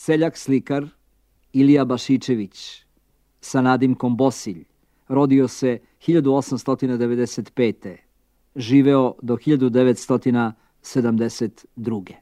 Seljak slikar Ilija Bašičević sa nadimkom Bosilj rodio se 1895. Živeo do 1972.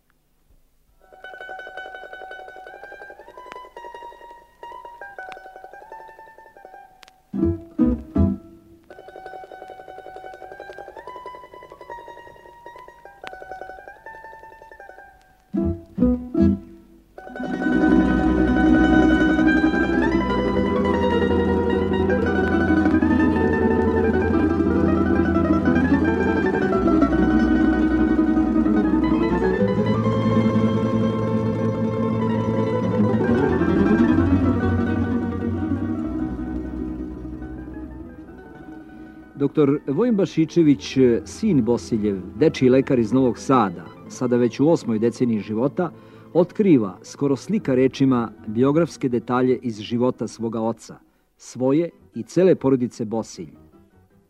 Doktor Vojin Bašičević, sin Bosiljev, dečiji lekar iz Novog Sada, sada već u 8. deceniji života, otkriva, skoro slika rečima, biografske detalje iz života svoga oca, svoje i cele porodice Bosilj.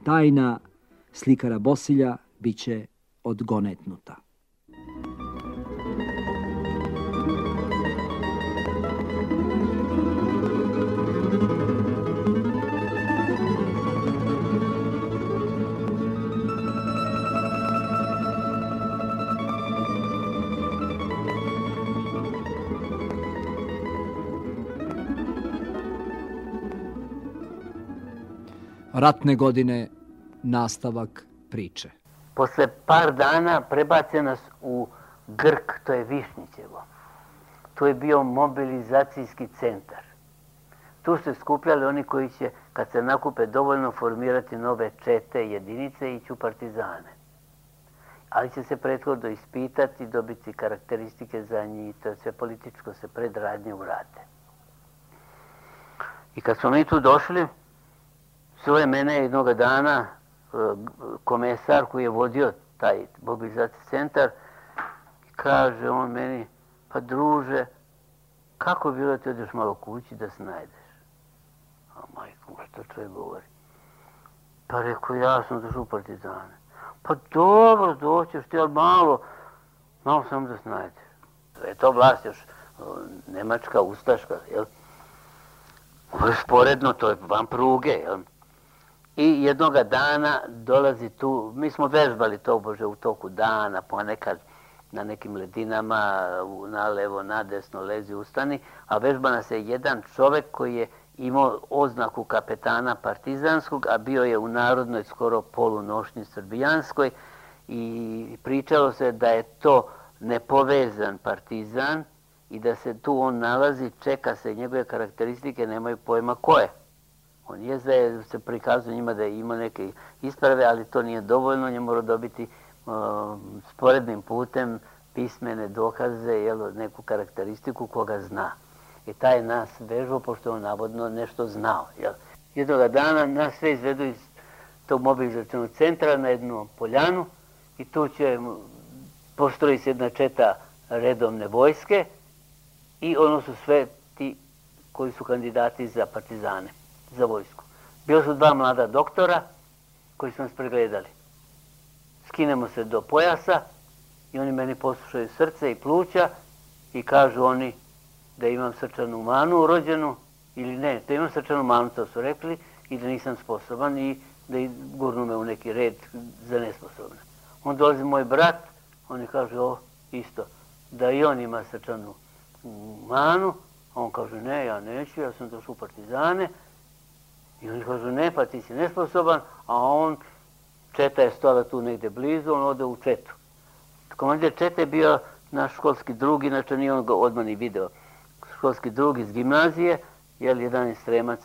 Tajna slikara Bosilja biće odgonetnuta. Ratne godine, nastavak priče. Posle par dana prebace nas u Grk, to je Višnjićevo. To je bio mobilizacijski centar. Tu se skupljali oni koji će, kad se nakupe dovoljno, formirati nove čete, jedinice i ići u partizane. Ali će se prethodno ispitati, dobiti karakteristike za njih, to je sve političko, se predradnje urade. I kad smo mi tu došli, zove mene jednog dana komesar koji je vodio taj mobilizacijski centar i kaže on meni, pa druže, kako bilo da ti odeš malo kući da se najdeš? A majko, što čovjek govori? Pa rekao, ja sam došao u partizane. Pa dobro, doćeš ti, ali malo samo da se najdeš. Je to vlast još nemačka, ustaška, jel? Ovo je sporedno, to je van pruge, jel? I jednoga dana dolazi tu, mi smo vežbali to bože u toku dana, ponekad na nekim ledinama, na levo, na desno, lezi, ustani, a vežba nas je jedan čovek koji je imao oznaku kapetana partizanskog, a bio je u narodnoj skoro polunošnji srbijanskoj i pričalo se da je to nepovezan partizan i da se tu on nalazi, čeka se, njegove karakteristike nemaju pojma ko je. On je da se prikazuje njima da je imao neke isprave, ali to nije dovoljno, on je morao dobiti sporednim putem pismene dokaze, neku karakteristiku koga zna. I taj nas vežbao, pošto je on navodno nešto znao. Jednoga dana nas sve izvedu iz tog mobilizacionog centra na jednu poljanu i tu će postroji se jedna četa redovne vojske i ono su sve ti koji su kandidati za partizane, za vojsku. Bilo su dva mlada doktora koji su nas pregledali. Skinemo se do pojasa i oni meni poslušaju srce i pluća i kažu oni da imam srčanu manu urođenu ili ne, da imam srčanu manu, to su rekli, i da nisam sposoban i da gurnu me u neki red za nesposobne. On dolazi moj brat, oni kažu isto, da i on ima srčanu manu, a on kaže ne, ja neću, ja sam došao u partizane. I oni kažu ne, pa ti si nesposoban, a on, četa je stala tu negde blizu, on ode u četu. Komandir čete je bio naš školski drug, inače nije on ga odmah ni video. Školski drug iz gimnazije, jedan Sremac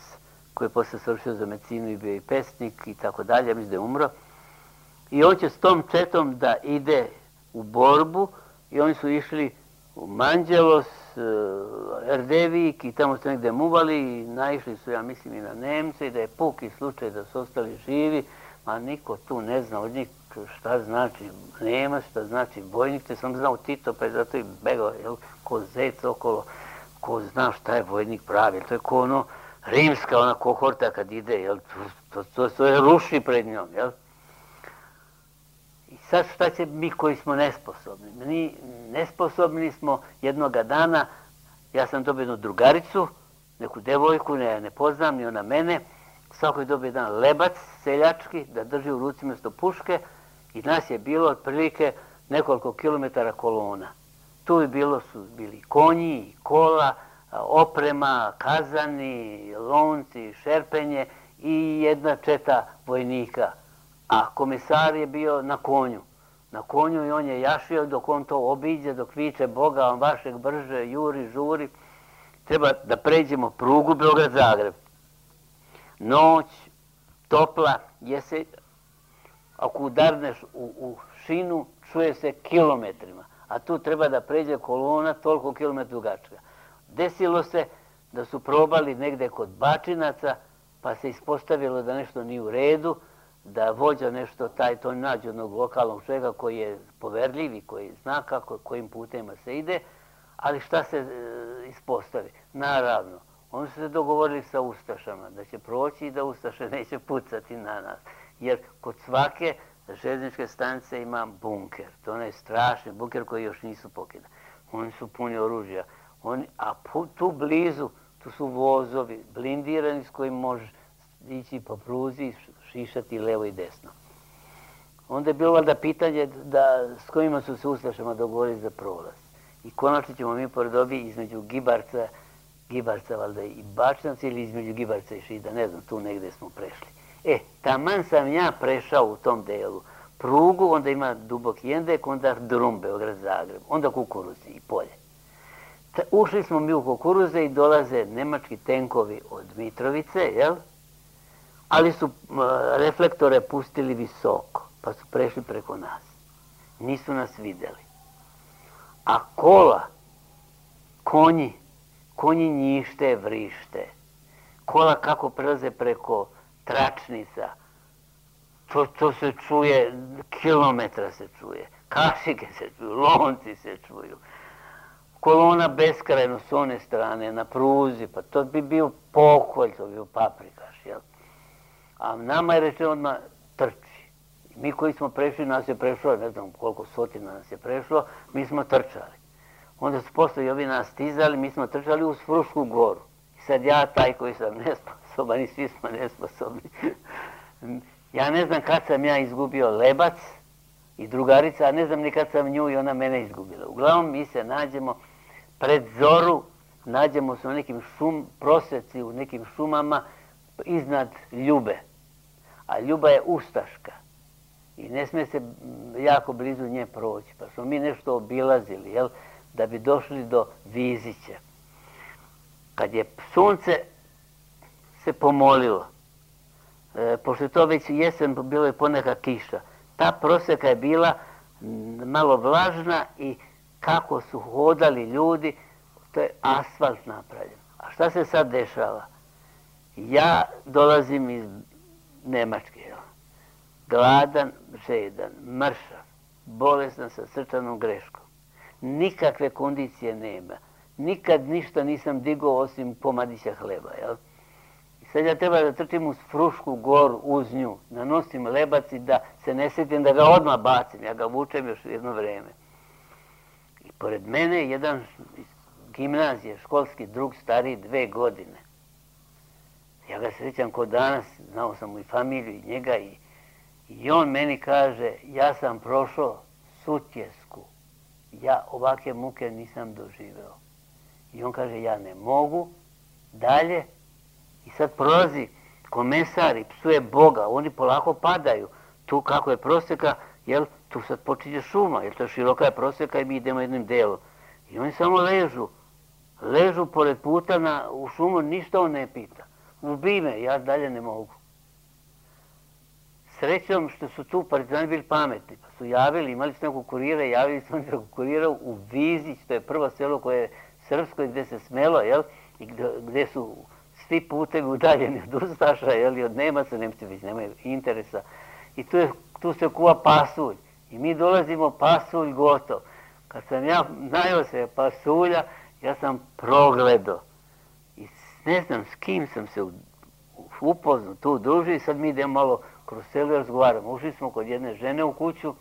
koji je posle svršio za medicinu i bio i pesnik i tako dalje, mislim da je umro. I on će s tom četom da ide u borbu i oni su išli u Manđelos, Erdevik i tamo su negde muvali i naišli su, ja mislim, i na Nemce i da je puki slučaj da su ostali živi, a niko tu ne zna od njih šta znači Nemac, šta znači vojnik, te sam znao Tito, pa je zato i begao, ko zec okolo, ko zna šta je vojnik pravi, to je ko ono rimska ona kohorta kad ide, to je ruši pred njom, jel? I sad šta će mi koji smo nesposobni? Mi nesposobni smo jednoga dana, Ja sam dobio jednu drugaricu, neku devojku, ne poznam, ni ona mene. Svako je dobio jedan lebac seljački da drži u ruci mjesto puške i nas je bilo otprilike nekoliko kilometara kolona. Tu su bili konji, kola, oprema, kazani, lonci, šerpenje i jedna četa vojnika. A komesar je bio na konju. Na konju i on je jašio dok on to obiđe, dok viče Boga, on vašeg brže, juri, žuri. Treba da pređemo prugu Beograd-Zagreb. Noć, topla, ako udarneš u šinu, čuje se kilometrima. A tu treba da pređe kolona toliko kilometra dugačka. Desilo se da su probali negde kod Bačinaca, pa se ispostavilo da nešto nije u redu, da vođa nešto to nađe jednog lokalnog čovjeka koji je poverljiv i koji zna kojim putima se ide, ali šta se ispostavi? Naravno, oni su se dogovorili sa ustašama da će proći i da ustaše neće pucati na nas. Jer kod svake željezničke stanice ima bunker. To je onaj strašni bunker koji još nisu pokidani. Oni su puni oružja. A tu blizu, tu su vozovi blindirani s kojim možeš ići po pruzi i šišati levo i desno. Onda je bilo valjda pitanje s kojima su se ustašama dogovorili za prolaz. I konačno ćemo mi pored ovih između Gibarca valjda i Bačinaca ili između Gibarca i Šida, ne znam, tu negde smo prešli. Taman sam ja prešao u tom delu prugu, onda ima duboki jendek, onda drum Beograd-Zagreb, onda kukuruzi i polje. Ušli smo mi u kukuruze i dolaze nemački tenkovi od Mitrovice, jel? Ali su reflektore pustili visoko, pa su prešli preko nas. Nisu nas videli. A kola, konji njište, vrište. Kola kako prelaze preko tračnica, to se čuje, kilometra se čuje, kašike se čuju, lonci se čuju. Kolona beskrajno s one strane, na pruzi, pa to bi bio pokolj, to bi bio paprikaš, jel? A nama je rečeno odmah trči. Mi koji smo prešli, nas je prešlo, ne znam koliko stotina nas je prešlo, mi smo trčali. Onda su posle i ovi nas stizali, mi smo trčali uz Frušku goru. I sad ja, taj koji sam nesposoban i svi smo nesposobni. Ja ne znam kad sam ja izgubio lebac i drugarica, a ne znam ni kad sam nju i ona mene izgubila. Uglavnom mi se nađemo pred zoru, nađemo se u nekim proseci, u nekim šumama iznad Ljube. A Ljuba je ustaška i ne smije se jako blizu nje proći. Pa smo mi nešto obilazili, jel, da bi došli do Vizića. Kad je sunce se pomolilo, pošto je to već jesen, bilo je poneka kiša, ta proseka je bila malo vlažna i kako su hodali ljudi, to je asfalt napravljen. A šta se sad dešava? Ja dolazim iz Nemačke, jel? Gladan, žedan, mršav, bolestan sa srčanom greškom. Nikakve kondicije nema. Nikad ništa nisam digao osim komadića hleba, jel? I sad ja treba da trčim uz Frušku goru, uz nju, nanosim lebac i da se ne sjetim da ga odmah bacim. Ja ga vučem još jedno vreme. I pored mene jedan iz gimnazije, školski drug, stariji 2 godine. Ja ga srećam ko danas, znao sam mu i familiju i njega i on meni kaže, ja sam prošao Sutjesku. Ja ovakve muke nisam doživeo. I on kaže, ja ne mogu dalje. I sad prolazi komesar i psuje Boga. Oni polako padaju. Tu kako je proseka, jel, tu sad počinje šuma, jer to široka je proseka i mi idemo jednim delom. I oni samo ležu pored puta u šumu, ništa on ne pita. Ubij me, ja dalje ne mogu. Srećom što su tu partizani bili pametni, pa su javili, imali su nekog kurira, javili su nekog kurira u Vizić, to je prvo selo koje je srpsko i gde se smelo, jel, i gde su svi putevi udaljeni od ustaša, jel, i od Nemaca, Nemci već nemaju interesa. I tu se kuva pasulj. I mi dolazimo, pasulj gotov. Kad sam ja najao se pasulja, ja sam progledao. I ne znam s kim sam se upoznao, tu družio i sad mi idemo malo kroz selo i razgovaramo. Ušli smo kod jedne žene u kuću,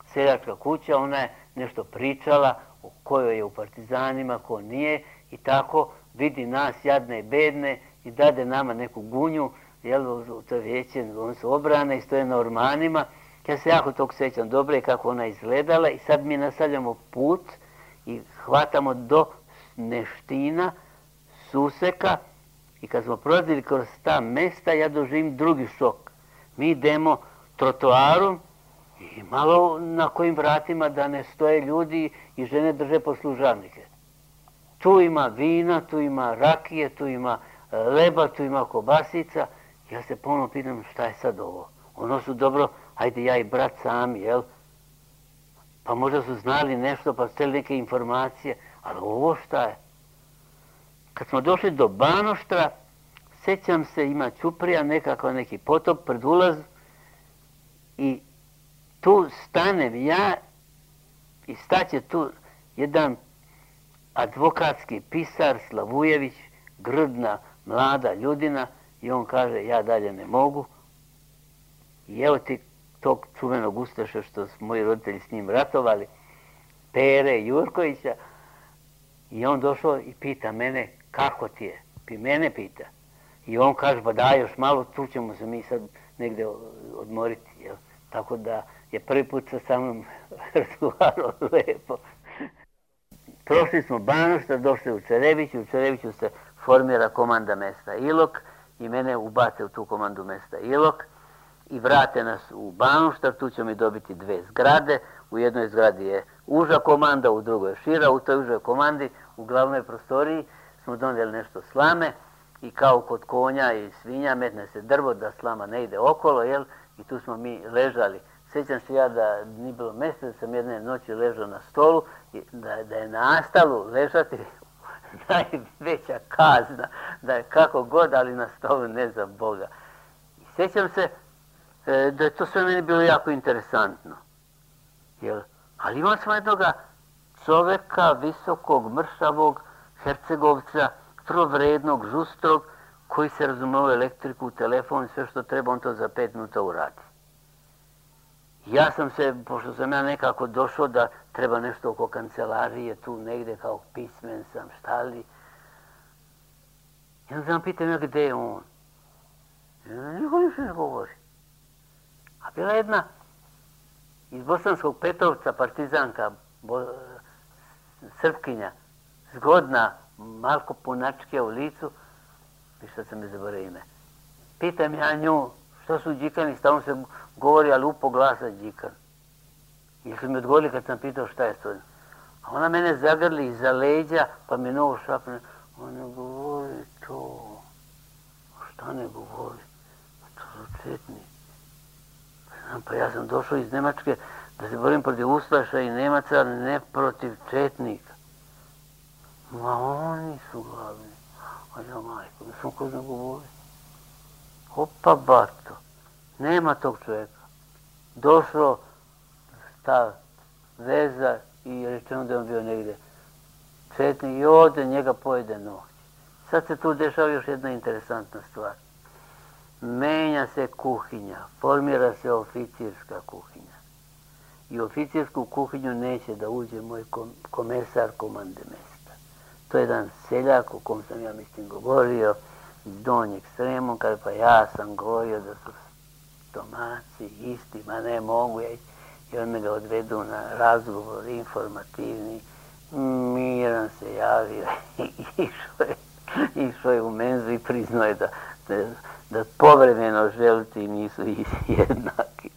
seljačka kuća, ona je nešto pričala o kojoj je u partizanima, ko nije. I tako vidi nas jadne i bedne i dade nama neku gunju, jel, to veće, oni su obrane i stoje na ormanima. Ja se jako tog sjećam dobro i kako ona izgledala i sad mi nastavljamo put i hvatamo do Neština, Suseka i kad smo prolazili kroz ta mesta ja doživim drugi šok. Mi idemo trotoarom i malo na kojim vratima da ne stoje ljudi i žene drže poslužavnike. Tu ima vina, tu ima rakije, tu ima leba, tu ima kobasica. Ja se ponovno pitam šta je sad ovo. Ono su dobro, hajde ja i brat sami, jel? Pa možda su znali nešto, pa steli neke informacije, ali ovo šta je? Kad smo došli do Banoštra, sjećam se, ima ćuprija, nekakav neki potop pred ulaz i tu stanem ja i staće tu jedan advokatski pisar Slavujević, grdna, mlada ljudina i on kaže ja dalje ne mogu. I evo ti tog čuvenog ustaša što su moji roditelji s njim ratovali, Pere Jurkovića, i on došao i pita mene kako ti je, mene pita. I on kaže pa daj još malo, tu ćemo se mi sad negdje odmoriti. Jel? Tako da je prvi put sa mnom razgovarao lepo. Prošli smo Banošta, došli u Čerebiću se formira komanda mesta Ilok i mene ubace u tu komandu mesta Ilok i vrate nas u Banoštar, tu ćemo mi dobiti 2 zgrade, u jednoj zgradi je uža komanda, u drugoj je šira, u toj užoj komandi, u glavnoj prostoriji smo donijeli nešto slame i kao kod konja i svinja metne se drvo da slama ne ide okolo, jel? I tu smo mi ležali. Sjećam se ja da nije bilo mjesta, da sam jedne noći ležao na stolu, i da je nastalo ležati najveća kazna, da je kako god, ali na stolu ne za Boga. I sjećam se da je to sve meni bilo jako interesantno. Jel? Ali imao sam jednoga čoveka, visokog, mršavog, Hercegovca, vrlo vrednog, žustrog, koji se razumeo u elektriku, telefon, sve što treba, on to za 5 minuta uradi. Ja sam se, pošto sam ja nekako došao da treba nešto oko kancelarije, tu negdje kao pismen sam, šta li. I onda sam pitam ja gdje je on. Niko ništa ne govori. A bila jedna iz Bosanskog Petrovca, partizanka, Srpkinja, zgodna, malko punačke u licu, ništa sam mi zaboravio ime. Pitam ja nju, što su džikani, stalno se govori, ali upo glasa džikan. I su mi odgovorili kad sam pitao šta je to. A ona mene zagrli iza leđa, pa mi novo šapne. On ne govori to. Šta ne govori? To su četni. Pa ja sam došao iz Nemačke da se borim protiv Ustaša i Nemaca, ali ne protiv četnika. Ma oni su glavni. A ja majko, ne sam ko zna govori. Opa bato, nema tog čovjeka. Došlo ta veza i rečeno da je on bio negdje četnik i ode njega pojede noć. Sad se tu dešava još jedna interesantna stvar. Menja se kuhinja, formira se oficirska kuhinja. I u oficirsku kuhinju neće da uđe moj komesar komande mesta. To je jedan seljak o kom sam ja mislim govorio, iz Donjeg Srema, kada pa ja sam govorio da su stomaci isti, ma ne mogu ja. I on me ga odvedu na razgovor informativni, miran se javio i išao je u menzu i priznao je da povremeno želiti nisu jednaki.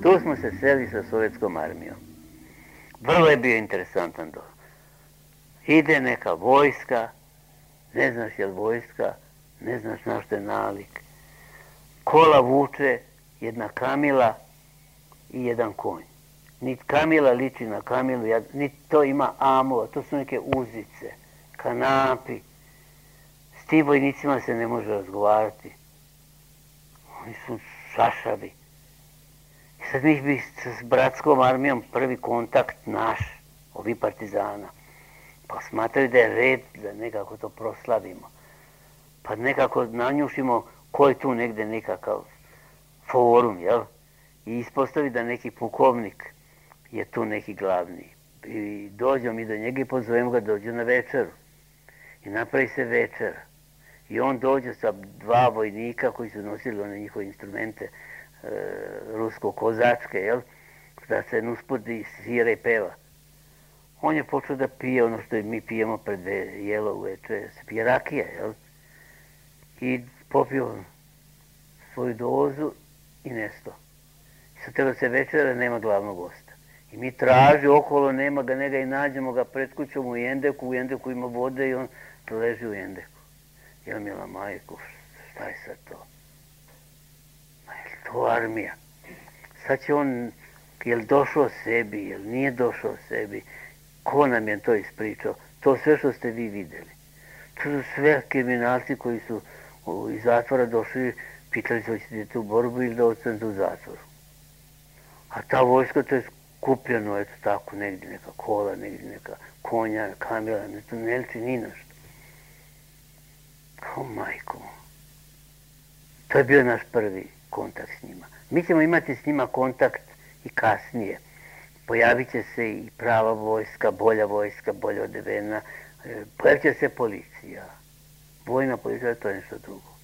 Tu smo se sreli sa sovjetskom armijom. Vrlo je bio interesantan dom. Ide neka vojska, ne znaš je li vojska, ne znaš na što je nalik. Kola vuče jedna kamila i jedan konj. Niti Kamila liči na Kamilu, niti to ima amova, to su neke uzice, kanapi. S tim vojnicima se ne može razgovarati. Oni su šašavi. I sad mi bi s bratskom armijom prvi kontakt naš, ovi partizana. Pa smatraju da je red da nekako to proslavimo. Pa nekako nanjušimo ko je tu negde nekakav forum, jel? I ispostavi da neki pukovnik je tu neki glavni. I dođemo mi do njega i pozovemo ga dođu na večeru. I napravi se večera. I on dođe sa 2 vojnika koji su nosili one njihove instrumente rusko-kozačke, jel? Da se uspodi svira i peva. On je počeo da pije ono što mi pijemo pred jelo uveče, se pije rakija, jel? I popio svoju dozu i nesto. I sad treba se večera, nema glavnog gosta. I mi traži okolo, nema ga, njega i nađemo ga pred kućom u Jendeku ima vode i on leži u Jendeku. Jel, mila majko, šta je sad to? Ma je to armija? Sad će on, jel došao sebi, jel nije došao sebi? Ko nam je to ispričao? To sve što ste vi vidjeli. To su sve kriminalci koji su iz zatvora došli, pitali se hoćete u borbu ili da ostanete u zatvoru. A ta vojska, to je skupljeno, eto tako, negdje neka kola, negdje neka konja, kamila, ne liči ni nešto. O majko. To je bio naš prvi kontakt s njima. Mi ćemo imati s njima kontakt i kasnije. Pojavit će se i prava vojska, bolje odevena. Pojavit će se policija. Vojna policija, to je nešto drugo.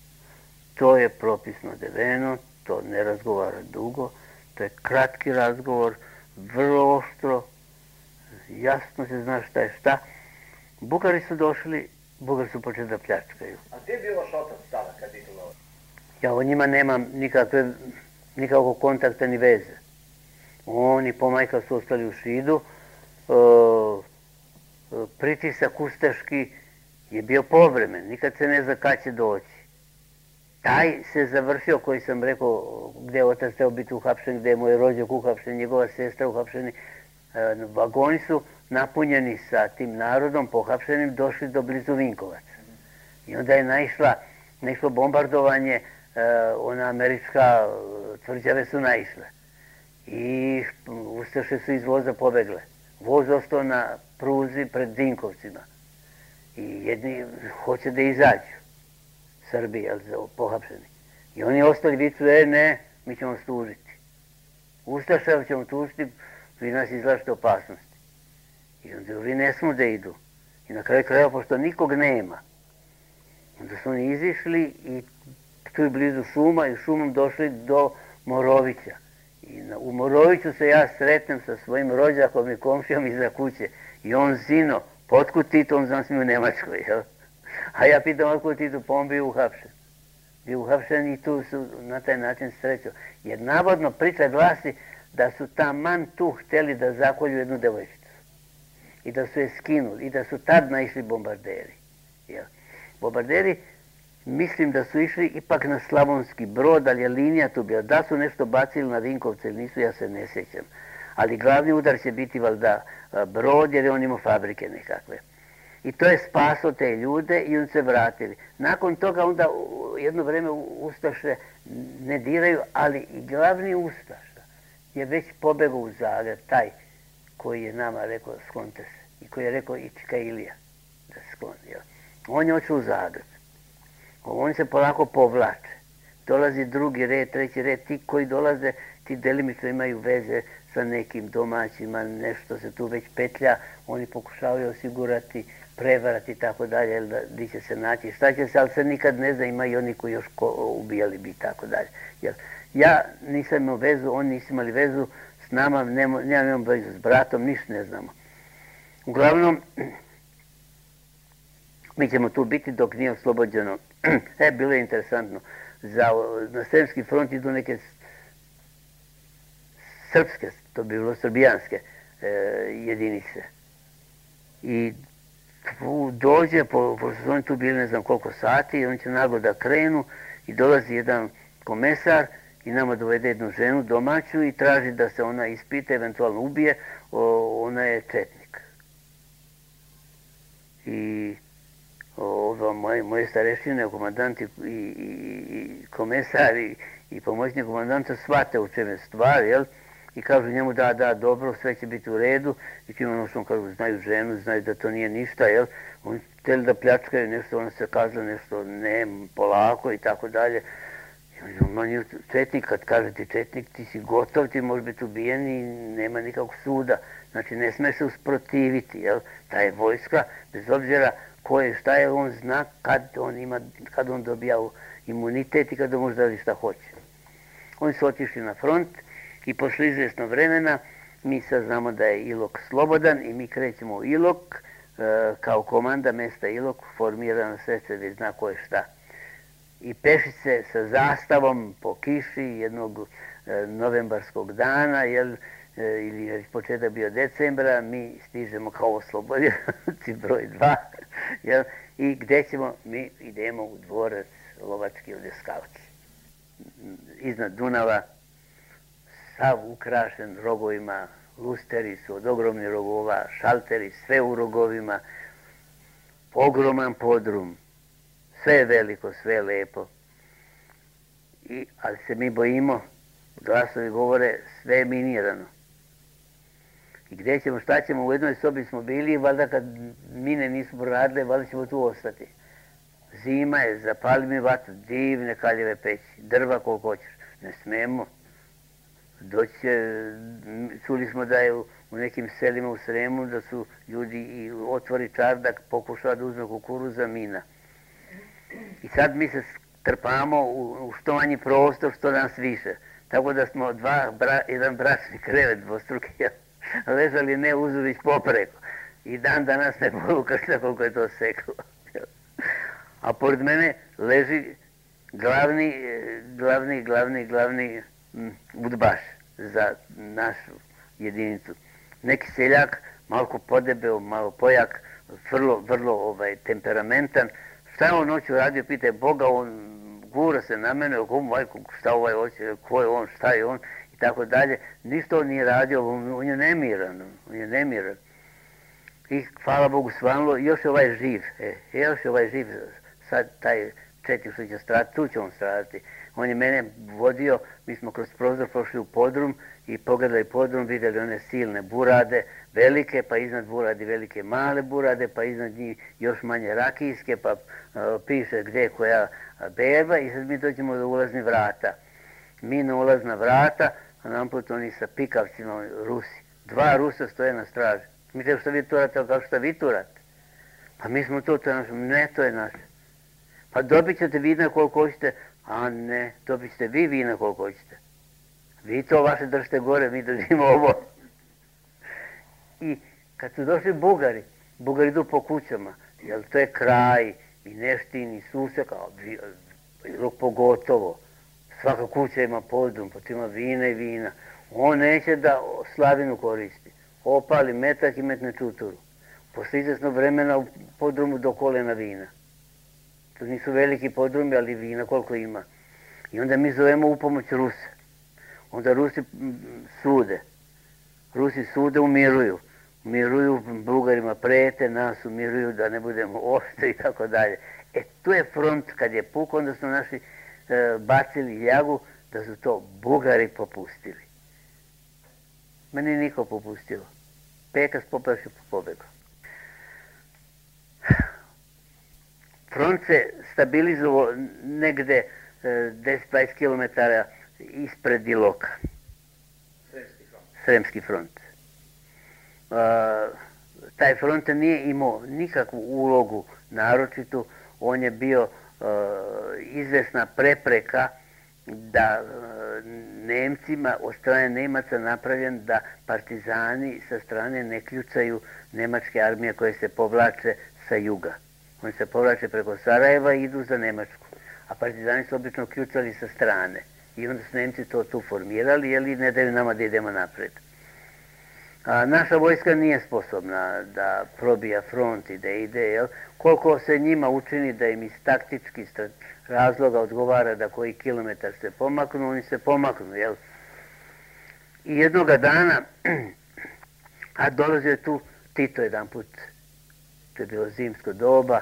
To je propisno odeveno, to ne razgovara dugo, to je kratki razgovor, vrlo oštro, jasno se zna šta je šta. Bugari su došli, Bugari su počeli da pljačkaju. A gdje je bio vaš otac tada kad je bilo? Ja o njima nemam nikakvog kontakta ni veze. Oni pomajka su ostali u Šidu. Pritisak ustaški je bio povremen, nikad se ne zna kad će doći. Taj se završio, koji sam rekao, gdje je otac trebao biti uhapšen, gdje je moj rođak uhapšen, njegova sestra uhapšeni. Vagoni su napunjeni sa tim narodom pohapšenim, došli do blizu Vinkovaca. I onda je naišlo bombardovanje, ona američka tvrđave su naišle. I ustaše su iz voza pobegle. Voz ostao na pruzi pred Vinkovcima. I jedni hoće da izađu, Srbi, pohapšeni. I oni ostali vicu, ne, mi ćemo vas tužiti. Ustaša ćemo tužiti, vi nas izlažete opasnosti. I onda vi ne smo da idu. I na kraju krajeva, pošto nikog nema, onda su oni izišli i tu je blizu šuma i šumom došli do Morovića. I u Moroviću se ja sretnem sa svojim rođakom i komšijom iza kuće. I on zino, potkud Tito, on znam sam u Nemačkoj, jel? A ja pitam, otkud Tito, pa on bio uhapšen. Bio uhapšen i tu su na taj način srećo. Jer navodno priča glasi da su taman tu htjeli da zakolju jednu devojčicu. I da su je skinuli. I da su tad naišli bombarderi. Jel? Bombarderi, mislim da su išli ipak na Slavonski Brod, ali je linija tu bila. Da su nešto bacili na Vinkovce ili nisu, ja se ne sjećam. Ali glavni udar će biti valjda Brod, jer je on imao fabrike nekakve. I to je spaso te ljude i on se vratili. Nakon toga onda jedno vreme ustaše ne diraju, ali i glavni ustaša je već pobegao u Zagreb, taj koji je nama rekao sklonite se. I koji je rekao Ička Ilija da se skloni. On je otišao u Zagreb. Oni se polako povlače. Dolazi drugi red, treći red. Ti koji dolaze, ti delimično imaju veze sa nekim domaćima, nešto se tu već petlja, oni pokušavaju osigurati, prevarati i tako dalje, gdje će se naći, šta će se, ali se nikad ne zna, ima i oni koji još ubijali bi i tako dalje. Ja nisam imao vezu, oni nisu imali vezu s nama, nemam vezu s bratom, ništa ne znamo. Uglavnom, mi ćemo tu biti dok nije oslobođeno. Bilo je interesantno. Na Sremski front idu neke srpske, to bi bilo srbijanske jedinice. I dođe, pošto su oni tu bili ne znam koliko sati, i oni će naglo da krenu i dolazi jedan komesar i nama dovede jednu ženu domaću i traži da se ona ispita, eventualno ubije, ona je četnik. I moje starešine, komandant i komesar i pomoćnik komandanta shvate u čem je stvar, jel? I kažu njemu da, dobro, sve će biti u redu. I tim ono što kažu, znaju ženu, znaju da to nije ništa, jel? Oni htjeli da pljačkaju nešto, ona se kazala nešto, ne, polako i tako dalje. I četnik, kad kaže ti četnik, ti si gotov, ti možeš biti ubijen i nema nikakvog suda. Znači, ne sme se usprotiviti, jel? Ta je vojska, bez obzira ko je, šta je, on zna kad on dobija imunitet i kad on može da li šta hoće. Oni su otišli na front i posle izvjesno vremena mi sad znamo da je Ilok slobodan i mi krećemo u Ilok kao komanda mesta Ilok, formirano sve se već zna ko je šta. I pešice sa zastavom po kiši jednog novembarskog dana, ili je početak bio decembra, mi stižemo kao oslobodioci broj 2, i gde ćemo? Mi idemo u dvorac lovački u Deskauci. Iznad Dunava, sav ukrašen rogovima, lusteri su od ogromnih rogova, šalteri, sve u rogovima, ogroman podrum, sve je veliko, sve je lepo. Ali se mi bojimo, glasovi govore, sve je minirano. I gdje ćemo, šta ćemo, u jednoj sobi smo bili i valjda kad mine nisu proradile, valjda ćemo tu ostati. Zima je, zapali mi vatru, divne kaljeve peći, drva koliko hoćeš. Ne smemo. Čuli smo da je u nekim selima u Sremu da su ljudi i otvori čardak, pokušava da uzme kukuruza, mina. I sad mi se trpamo u što manji prostor, što nas više. Tako da smo jedan bračni krevet dvostruki, ležali ne uzuvić popreko. I dan danas ne mogu kršta koliko je to seklo. A pored mene leži glavni udbaš za našu jedinicu. Neki seljak, malo podebeo, malo pojak, vrlo temperamentan. Šta je on noću radio, pita Boga, on gura se na mene, šta ovaj hoće, ko je on, šta je on, i tako dalje. Ništa on nije radio, on je nemiran. I hvala Bogu svanulo, još je ovaj živ, sad taj četnik što će stradati, tu će on stradati. On je mene vodio, mi smo kroz prozor prošli u podrum i pogledali podrum, vidjeli one silne burade, velike, pa iznad buradi velike male burade, pa iznad njih još manje rakijske, pa piše gdje je koja berba i sad mi dođemo do ulaznih vrata. Mi na ulazna vrata, a namput oni sa pikavcima Rusi. 2 Rusa stoje na straži. Mi te što vi turate, ali kao što vi turate? Pa mi smo to je naše. Ne, to je naše. Pa dobit ćete vina koliko hoćete, a ne, dobit ćete vi vina koliko hoćete. Vi to vaše držite gore, mi držimo ovo. I kad su došli Bugari idu po kućama, jer to je kraj, i Neštin, i Susek, a Ilok pogotovo. Svaka kuća ima podrum, pa tu ima vina i vina. On neće da slavinu koristi. Opali metak i metne čuturu. Posle izvesnog vremena u podrumu do kolena vina. To nisu veliki podrumi, ali vina koliko ima. I onda mi zovemo u pomoć Ruse. Onda Rusi sude, umiruju. Umiruju, Bugarima prete, nas umiruju da ne budemo oštri i tako dalje. Tu je front, kad je puk, onda su naši bacili ljagu da su to Bugari popustili. Meni niko popustilo. Pekas popraši pobegao. Front se stabilizovao negde 10-20 km ispred Iloka. Sremski front. Taj front nije imao nikakvu ulogu naročitu, on je bio izvesna prepreka da Nemcima, od strane Nemaca napravljen da partizani sa strane ne kljucaju nemačke armije koje se povlače sa juga. Oni se povlače preko Sarajeva i idu za Nemačku, a partizani su obično kljucali sa strane. I onda su Nemci to tu formirali, jer ne daju nama da idemo napred. A naša vojska nije sposobna da probija front i da ide, jel? Koliko se njima učini da im iz taktičkih razloga odgovara da koji kilometar se pomaknu, oni se pomaknu, jel? I jednoga dana, a dolazio je tu Tito jedan put, to je bilo zimsko doba,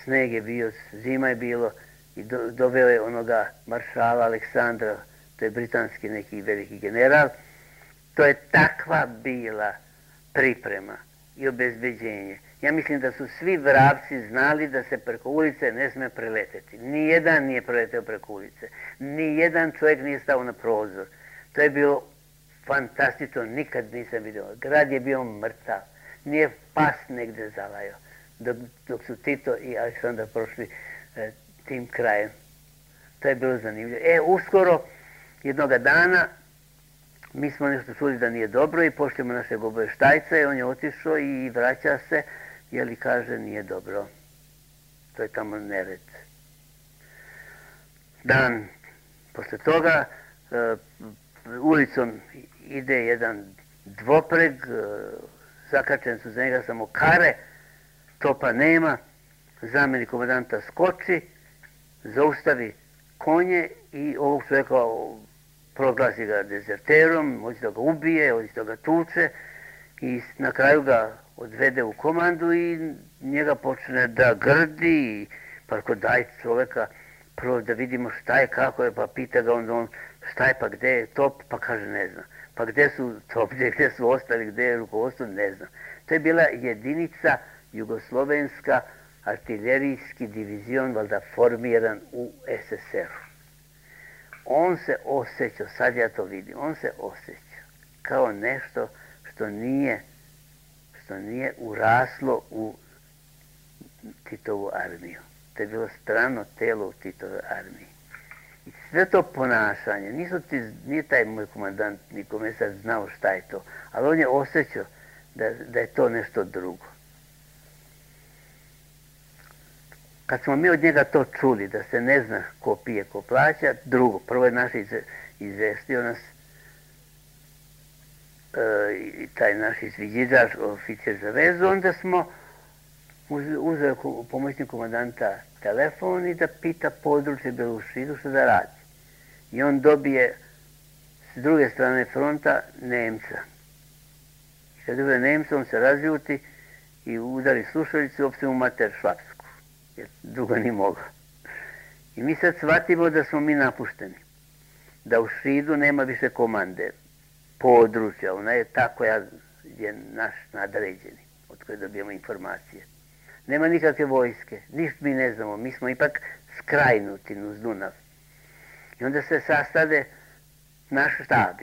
sneg je bio, zima je bilo i doveo je onoga maršala Aleksandra, to je britanski neki veliki general. To je takva bila priprema i obezbeđenje. Ja mislim da su svi vrapci znali da se preko ulice ne sme preleteti. Nijedan nije preleteo preko ulice. Nijedan čovjek nije stao na prozor. To je bilo fantastično, nikad nisam vidio. Grad je bio mrtav. Nije pas negde zalajao. Dok su Tito i Aleksandar prošli tim krajem. To je bilo zanimljivo. Uskoro, jednoga dana, mi smo nešto čuli da nije dobro i pošljemo našeg obavještajca i on je otišao i vraća se, jer kaže nije dobro. To je tamo nered. Dan posle toga ulicom ide jedan dvopreg, zakačen su za njega samo kare, topa nema, zamjenik komandanta skoči, zaustavi konje i ovog čovjeka proglasi ga dezerterom, hoće da ga ubije, hoće da ga tuče i na kraju ga odvede u komandu i njega počne da grdi, pa ako daj čovjeka prvo da vidimo šta je, kako je, pa pita ga on šta je, pa gde je top, pa kaže ne znam. Pa gde su top, gde su ostali, gde je rukovodstvo, ne znam. To je bila jedinica jugoslovenska, artiljerijski divizion, valjda formiran u SSR-u. On se osjećao, sad ja to vidim, on se osjećao kao nešto što nije uraslo u Titovu armiju. To je bilo strano telo u Titovoj armiji. I sve to ponašanje, nije taj moj komandant ni komesar znao šta je to, ali on je osjećao da je to nešto drugo. Kad smo mi od njega to čuli, da se ne zna ko pije, ko plaća, drugo, prvo je naš izvestio nas taj naš izviđiđač, oficir za vezu, onda smo uzeli pomoćnik komandanta telefon i da pita područje Belušidu što da radi. I on dobije s druge strane fronta Nemca. I kad dobije Nemca, on se razljuti i udari slušalicu i opšte mu mater švapsku, jer drugo nije mogao. I mi sad shvatimo da smo mi napušteni, da u Šidu nema više komande područja, ona je ta koja je naš nadređeni, od koje dobijemo informacije. Nema nikakve vojske, ništa mi ne znamo, mi smo ipak skrajnuti uz Dunav. I onda se sastade naš štab,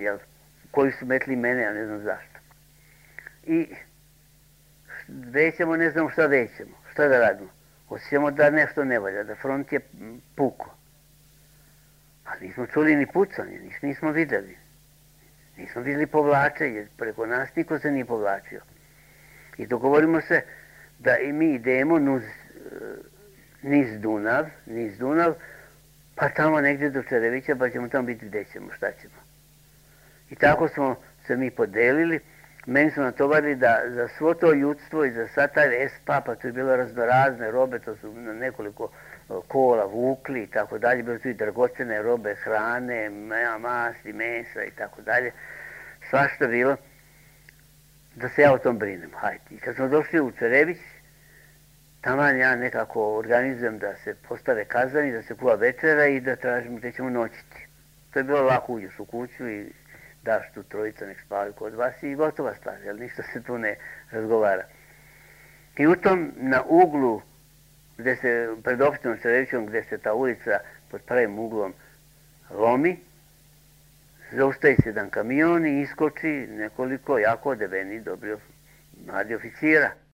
koji su metli mene, ja ne znam zašto. I većemo, ne znamo šta većemo, šta da radimo. Osjećamo da nešto ne valja, da front je puko. Ali nismo čuli ni pucanje, nismo videli. Nismo videli povlačenje, preko nas niko se nije povlačio. I dogovorimo se da i mi idemo niz Dunav, pa tamo negdje do Čerevića, pa ćemo tamo biti gdje ćemo, šta ćemo. I tako smo se mi podelili. Meni su natovarili da za svo to ljudstvo i za sad taj espa, pa to je bilo raznorazne robe, to su na nekoliko kola vukli i tako dalje, bilo su i dragocene robe, hrane, masti, mesa i tako dalje, svašta bilo, da se ja o tom brinem, hajde. I kad smo došli u Čerević, taman ja nekako organizujem da se postave kazani, da se kuva večera i da tražimo gdje ćemo noćiti. To je bilo lako, uđeš u kuću i daš tu trojica, nek spavaju kod vas i gotova stvar, jer ništa se tu ne razgovara. I u tom, na uglu, gdje se, pred opštinom Čerevićom, gdje se ta ulica pod pravim uglom lomi, zaustavi se jedan kamion i iskoči nekoliko jako odeveni, dobri mladi oficira.